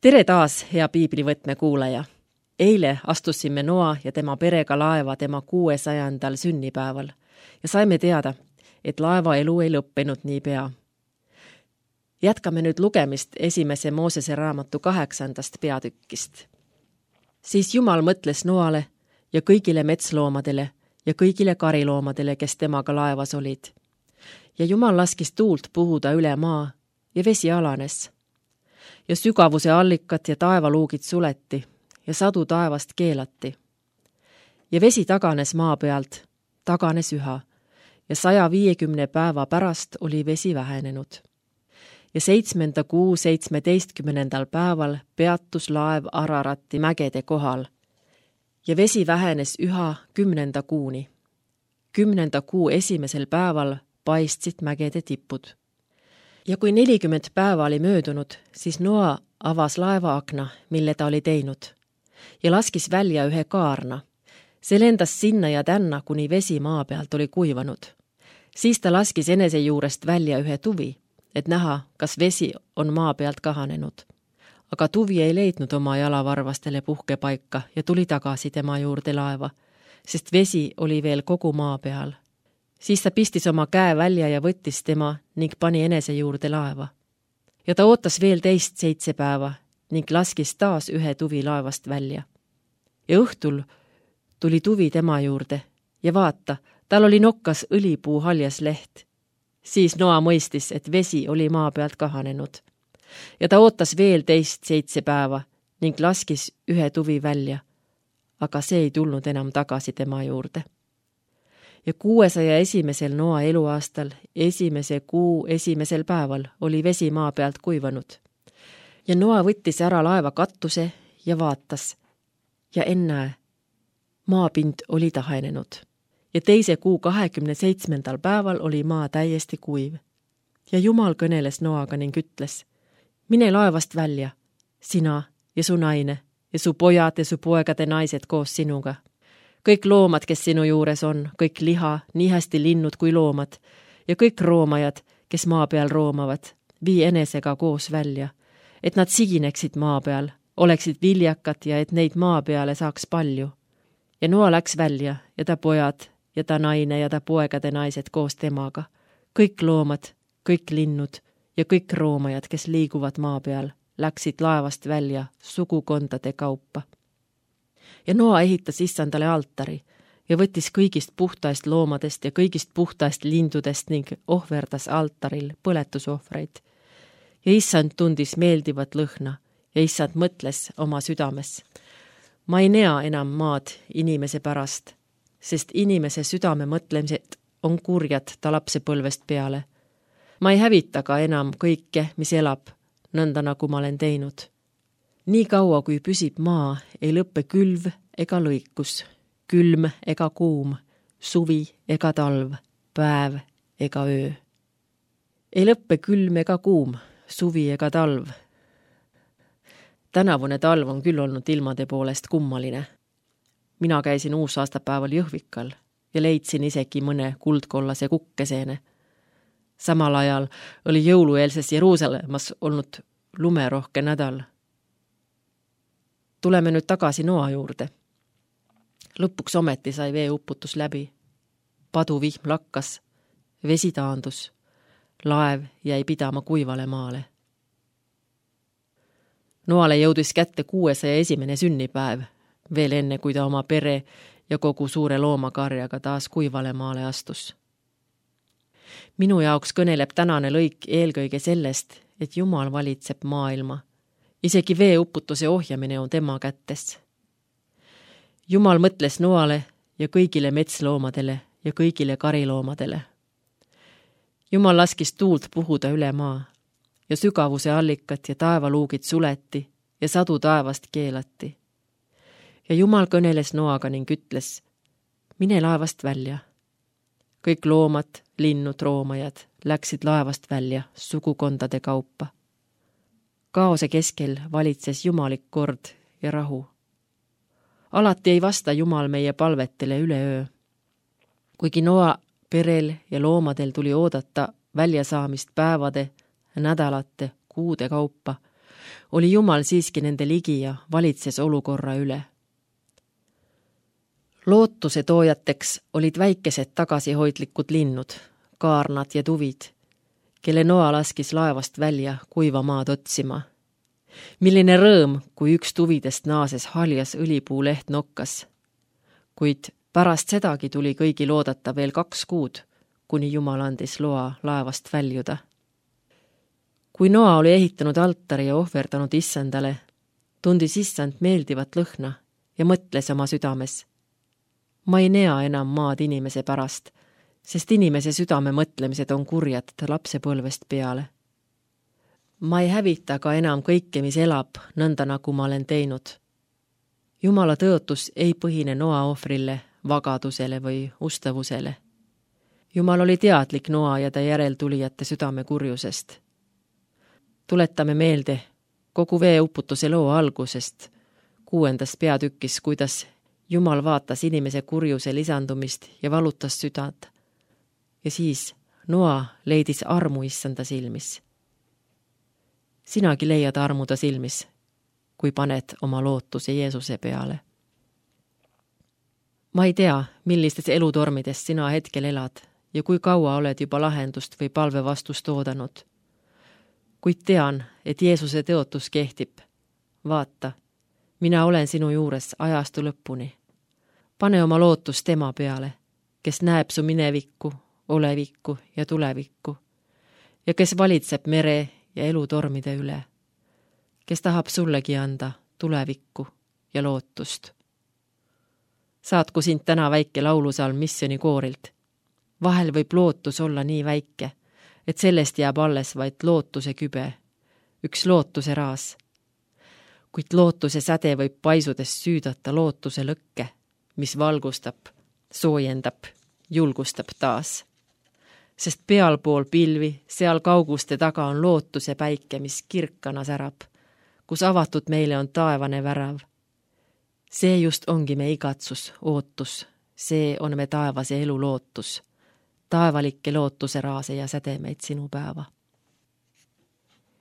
Tere taas, hea piiblivõtme kuulaja! Eile astusime Noa ja tema perega laeva tema 600. sünnipäeval ja saime teada, et laeva elu ei lõppenud niipea. Jätkame nüüd lugemist esimese Moosese raamatu 8. peatükkist. Siis Jumal mõtles Noale ja kõigile metsloomadele ja kõigile kariloomadele, kes temaga laevas olid. Ja Jumal laskis tuult puhuda üle maa ja vesi alanes. Ja sügavuse allikat ja taevaluugid suleti ja sadu taevast keelati. Ja vesi taganes maa pealt, taganes üha, ja 150 päeva pärast oli vesi vähenenud. Ja 7. kuu 17. päeval peatus laev Ararati mägede kohal, ja vesi vähenes üha 10. kuuni. 10. kuu esimesel päeval paistsid mägede tipud. Ja kui 40 päeva oli möödunud, siis Noa avas laeva akna, mille ta oli teinud, ja laskis välja ühe kaarna. See lendas sinna ja tänna, kuni vesi maa pealt oli kuivanud. Siis ta laskis enese juurest välja ühe tuvi, et näha, kas vesi on maa pealt kahanenud. Aga tuvi ei leidnud oma jalavarvastele puhkepaika ja tuli tagasi tema juurde laeva, sest vesi oli veel kogu maa peal. Siis ta pistis oma käe välja ja võttis tema ning pani enese juurde laeva. Ja ta ootas veel teist 7 päeva ning laskis taas ühe tuvi laevast välja. Ja õhtul tuli tuvi tema juurde ja vaata, tal oli nokkas õlipuu haljas leht. Siis Noa mõistis, et vesi oli maa pealt kahanenud. Ja ta ootas veel teist 7 päeva ning laskis ühe tuvi välja, aga see ei tulnud enam tagasi tema juurde. Ja 601. Noa eluaastal 1. kuu 1. päeval oli vesi maa pealt kuivanud. Ja Noa võttis ära laeva katuse ja vaatas. Ja ennäe, maapind oli tahenenud. Ja 2. kuu 27. päeval oli maa täiesti kuiv. Ja Jumal kõneles Noaga ning ütles, mine laevast välja, sina ja su naine ja su pojad ja su poegade naised koos sinuga. Kõik loomad, kes sinu juures on, kõik liha, nii hästi linnud kui loomad, ja kõik roomajad, kes maa peal roomavad, vii enesega koos välja, et nad sigineksid maa peal, oleksid viljakad ja et neid maa peale saaks palju. Ja Noa läks välja ja ta pojad ja ta naine ja ta poegade naised koos temaga, kõik loomad, kõik linnud ja kõik roomajad, kes liiguvad maa peal, läksid laevast välja sugukondade kaupa. Ja Noa ehitas Issandale altari ja võttis kõigist puhtaist loomadest ja kõigist puhtaist lindudest ning ohverdas altaril põletusohvreid. Ja Issand tundis meeldivat lõhna ja Issand mõtles oma südames. Ma ei nea enam maad inimese pärast, sest inimese südame mõtlemised on kurjad ta lapsepõlvest peale. Ma ei hävita ka enam kõike, mis elab, nõnda nagu ma olen teinud. Nii kaua, kui püsib maa, ei lõppe külv ega lõikus, külm ega kuum, suvi ega talv, päev ega öö. Ei lõppe külm ega kuum, suvi ega talv. Tänavune talv on küll olnud ilmade poolest kummaline. Mina käisin uusaastapäeval Jõhvikal ja leidsin isegi mõne kuldkollase kukkeseene. Samal ajal oli jõulueelses Jeruusalemmas olnud lumerohke nädal. Tuleme nüüd tagasi Noa juurde. Lõpuks ometi sai veeuputus läbi. Paduvihm lakkas, vesi taandus, laev jäi pidama kuivale maale. Noale jõudis kätte 601. sünnipäev, veel enne kui ta oma pere ja kogu suure loomakarjaga taas kuivale maale astus. Minu jaoks kõneleb tänane lõik eelkõige sellest, et Jumal valitseb maailma. Isegi veeuputuse ohjamine on tema kätes. Jumal mõtles Noale ja kõigile metsloomadele ja kõigile kariloomadele. Jumal laskis tuult puhuda üle maa ja sügavuse allikat ja taevaluugid suleti ja sadu taevast keelati. Ja Jumal kõneles Noaga ning ütles, mine laevast välja. Kõik loomad, linnud, roomajad läksid laevast välja sugukondade kaupa. Kaose keskel valitses jumalik kord ja rahu. Alati ei vasta Jumal meie palvetele üleöö. Kuigi Noa perel ja loomadel tuli oodata väljasaamist päevade, nädalate, kuude kaupa, oli Jumal siiski nende ligi ja valitses olukorra üle. Lootuse toojateks olid väikesed tagasihoidlikud linnud, kaarnad ja tuvid, kelle Noa laskis laevast välja kuiva maad otsima. Milline rõõm, kui üks tuvidest naases haljas õlipuuleht nokkas. Kuid pärast sedagi tuli kõigil oodata veel 2 kuud, kuni Jumal andis loa laevast väljuda. Kui Noa oli ehitanud altari ja ohverdanud issandale, tundis issand meeldivat lõhna ja mõtles oma südames. Ma ei nea enam maad inimese pärast, sest inimese südame mõtlemised on kurjad lapsepõlvest peale. Ma ei hävita ka enam kõike, mis elab, nõnda nagu ma olen teinud. Jumala tõotus ei põhine Noa ohvrile, vagadusele või ustavusele. Jumal oli teadlik Noa ja ta järeltulijate südame kurjusest. Tuletame meelde kogu veeuputuse loo algusest, 6. peatükis, kuidas Jumal vaatas inimese kurjuse lisandumist ja valutas südant. Ja siis Noa leidis armu issanda silmis. Sinagi leiad armu ta silmis, kui paned oma lootuse Jeesuse peale. Ma ei tea, millistes elutormides sina hetkel elad ja kui kaua oled juba lahendust või palve vastust oodanud. Kuid tean, et Jeesuse tõotus kehtib. Vaata, mina olen sinu juures ajastu lõpuni. Pane oma lootus tema peale, kes näeb su minevikku, olevikku ja tulevikku ja kes valitseb mere ja elutormide üle, kes tahab sullegi anda tulevikku ja lootust. Saatku sind täna väike laulusalm missionikoorilt. Vahel võib lootus olla nii väike, et sellest jääb alles vaid lootuse kübe, üks lootuse raas. Kuid lootuse säde võib paisudes süüdata lootuse lõkke, mis valgustab, soojendab, julgustab taas. Sest pealpool pilvi, seal kauguste taga on lootuse päike, mis kirkana särab, kus avatud meile on taevane värav. See just ongi me igatsus, ootus, see on me taevase elu lootus, taevalikke lootuse raase ja sädemeid sinu päeva.